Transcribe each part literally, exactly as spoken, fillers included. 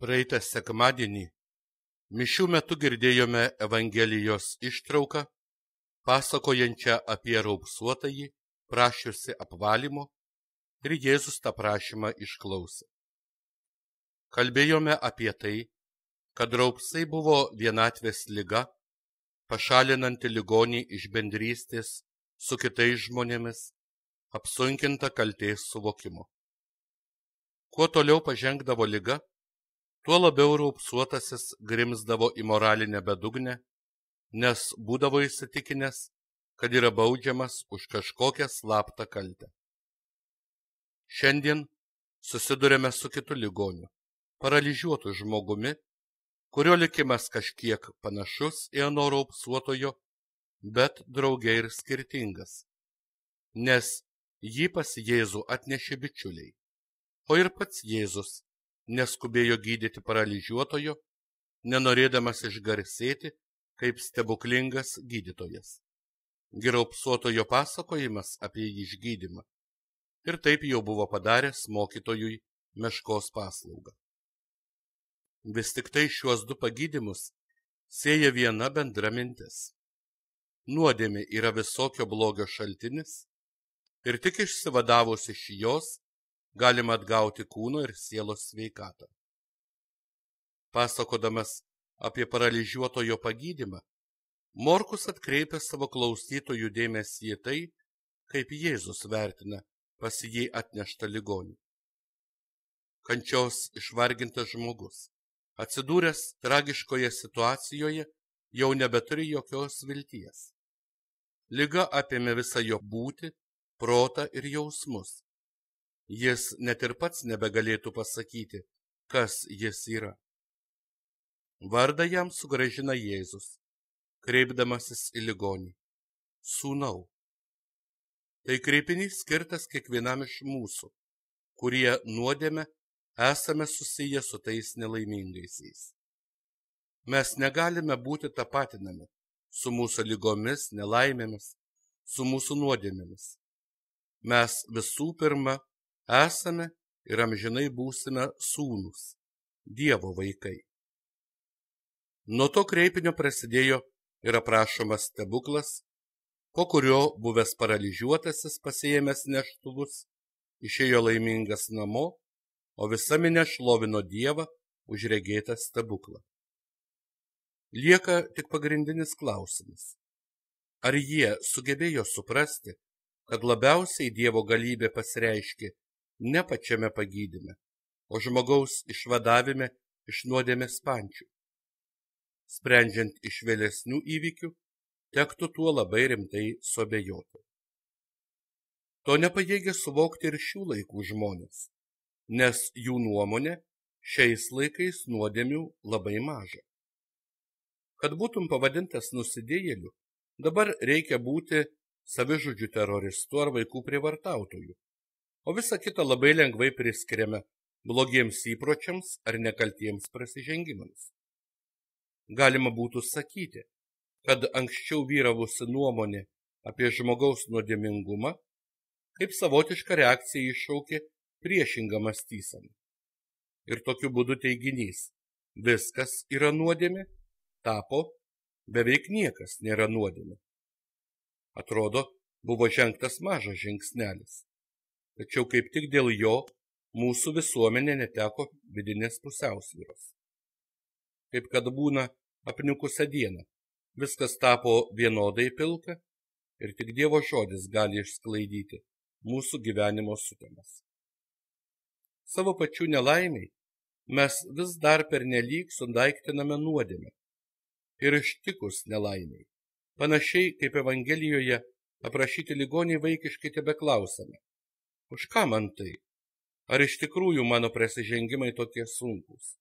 Praeitą sekmadienį mišių metu girdėjome Evangelijos ištrauką, pasakojančią apie raupsuotąjį, prašiusi apvalymo, ir Jėzus tą prašymą išklausė. Kalbėjome apie tai, kad raupsai buvo vienatvės liga, pašalinanti ligonį iš bendrystės su kitais žmonėmis, apsunkinta kaltės suvokimo. Kuo toliau pažengdavo liga, tuo labiau raupsuotasis grimzdavo į moralinę bedugnę, nes būdavo įsitikinęs, kad yra baudžiamas už kažkokią slaptą kaltę. Šiandien susidurėme su kitu ligoniu, paralyžiuotu žmogumi, kurio likimas kažkiek panašus į ano raupsuotojo, bet drauge ir skirtingas, nes jį pas Jėzų atnešė bičiuliai, o ir pats Jėzus neskubėjo gydyti paralyžiuotojo, nenorėdamas išgarsėti kaip stebuklingas gydytojas. Raupsuotojo pasakojimas apie jį išgydymą ir taip jau buvo padaręs mokytojui meškos paslaugą. Vis tik tai šiuos du pagydymus sieja viena bendra mintis. Nuodėmė yra visokio blogio šaltinis ir tik išsivadavus iš jos galima atgauti kūno ir sielos sveikatą. Pasakodamas apie paralyžiuotojo pagydymą, Morkus atkreipia savo klausytojų dėmesį į tai, kaip Jėzus vertina pas jį atneštą ligonį. Kančios išvargintas žmogus, atsidūręs tragiškoje situacijoje, jau nebeturi jokios vilties. Liga apėmė visą jo būtį, protą ir jausmus. Jis net ir pats nebegalėtų pasakyti, kas jis yra. Vardą jam sugrąžina Jėzus, kreipdamasis į ligonį. Sūnau. Tai kreipinys skirtas kiekvienam iš mūsų, kurie nuodėme esame susiję su tais nelaimingaisiais. Mes negalime būti tapatinami su mūsų ligomis, nelaimėmis, su mūsų nuodėmėmis. Mes visų pirma esame ir amžinai būsime sūnūs, Dievo vaikai. Nuo to kreipinio prasidėjo ir aprašomas stebuklas, po kurio buvęs paralyžiuotasis pasiėmęs neštuvus, išėjo laimingas namo, o visa minia šlovino Dievą už regėtą stebuklą. Lieka tik pagrindinis klausimas. Ar jie sugebėjo suprasti, kad labiausiai Dievo galybė pasireiškė ne pačiame pagydyme, o žmogaus išvadavime iš nuodėmės pančių? Sprendžiant iš vėlesnių įvykių, tektų tuo labai rimtai suabejoti. To nepajėgia suvokti ir šių laikų žmonės, nes jų nuomonė šiais laikais nuodėmių labai maža. Kad būtum pavadintas nusidėjėliu, dabar reikia būti savižudžių teroristu ar vaikų prievartautoju, o visa kita labai lengvai priskiriame blogiems įpročiams ar nekaltiems prasižengimams. Galima būtų sakyti, kad anksčiau vyravusi nuomonė apie žmogaus nuodėmingumą kaip savotiška reakcija iššaukė priešingą mąstyseną. Ir tokiu būdu teiginys viskas yra nuodėmė tapo beveik niekas nėra nuodėmė. Atrodo, buvo žengtas mažas žingsnelis, tačiau kaip tik dėl jo mūsų visuomenė neteko vidinės pusiausvyros. Kaip kad būna apniukusią dieną, viskas tapo vienodai pilka ir tik Dievo žodis gali išsklaidyti mūsų gyvenimo sutemas. Savo pačių nelaimiai mes vis dar pernelyg sundaiktiname nuodėmę ir ištikus nelaimiai, panašiai kaip Evangelijoje aprašyti ligoniai vaikiškai tebeklausame, už ką man tai? Ar iš tikrųjų mano prasižengimai tokie sunkūs?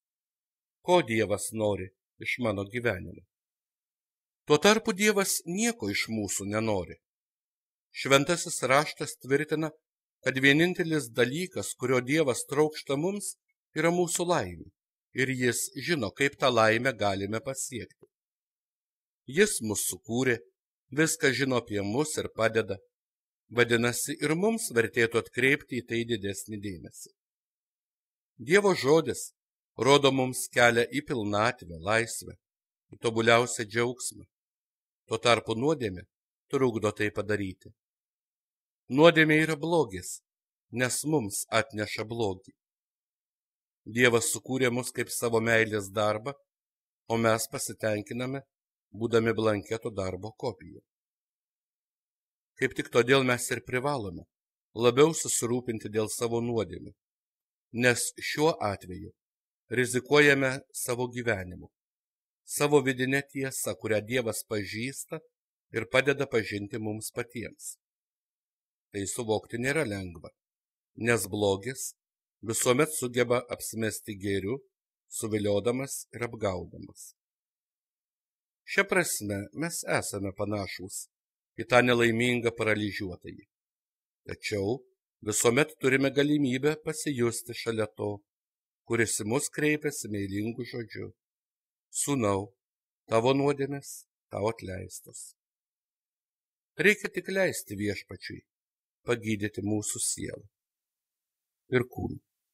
Ko Dievas nori iš mano gyvenimo? Tuo tarpu Dievas nieko iš mūsų nenori. Šventasis raštas tvirtina, kad vienintelis dalykas, kurio Dievas trokšta mums, yra mūsų laimė, ir jis žino, kaip tą laimę galime pasiekti. Jis mus sukūrė, viską žino apie mus ir padeda. Vadinasi, ir mums vertėtų atkreipti į tai didesnį dėmesį. Dievo žodis rodo mums kelią į pilnatvę, laisvę, į tobuliausią džiaugsmą. Tuo tarpu nuodėmė trukdo tai padaryti. Nuodėmė yra blogis, nes mums atneša blogį. Dievas sukūrė mus kaip savo meilės darbą, o mes pasitenkiname, būdami blanketo darbo kopija. Kaip tik todėl mes ir privalome labiau susirūpinti dėl savo nuodėmių, nes šiuo atveju rizikuojame savo gyvenimu, savo vidinę tiesą, kurią Dievas pažįsta ir padeda pažinti mums patiems. Tai suvokti nėra lengva, nes blogis visuomet sugeba apsimesti gėriu, suviliodamas ir apgaudamas. Šia prasme mes esame panašūs į tą nelaimingą paralyžiuotąjį. Tačiau visuomet turime galimybę pasijusti šalia to, kuris į mus kreipiasi meilingu žodžiu: Sūnau, tavo nuodėmės tau atleistos. Reikia tik leisti Viešpačiui pagydyti mūsų sielą ir kūną.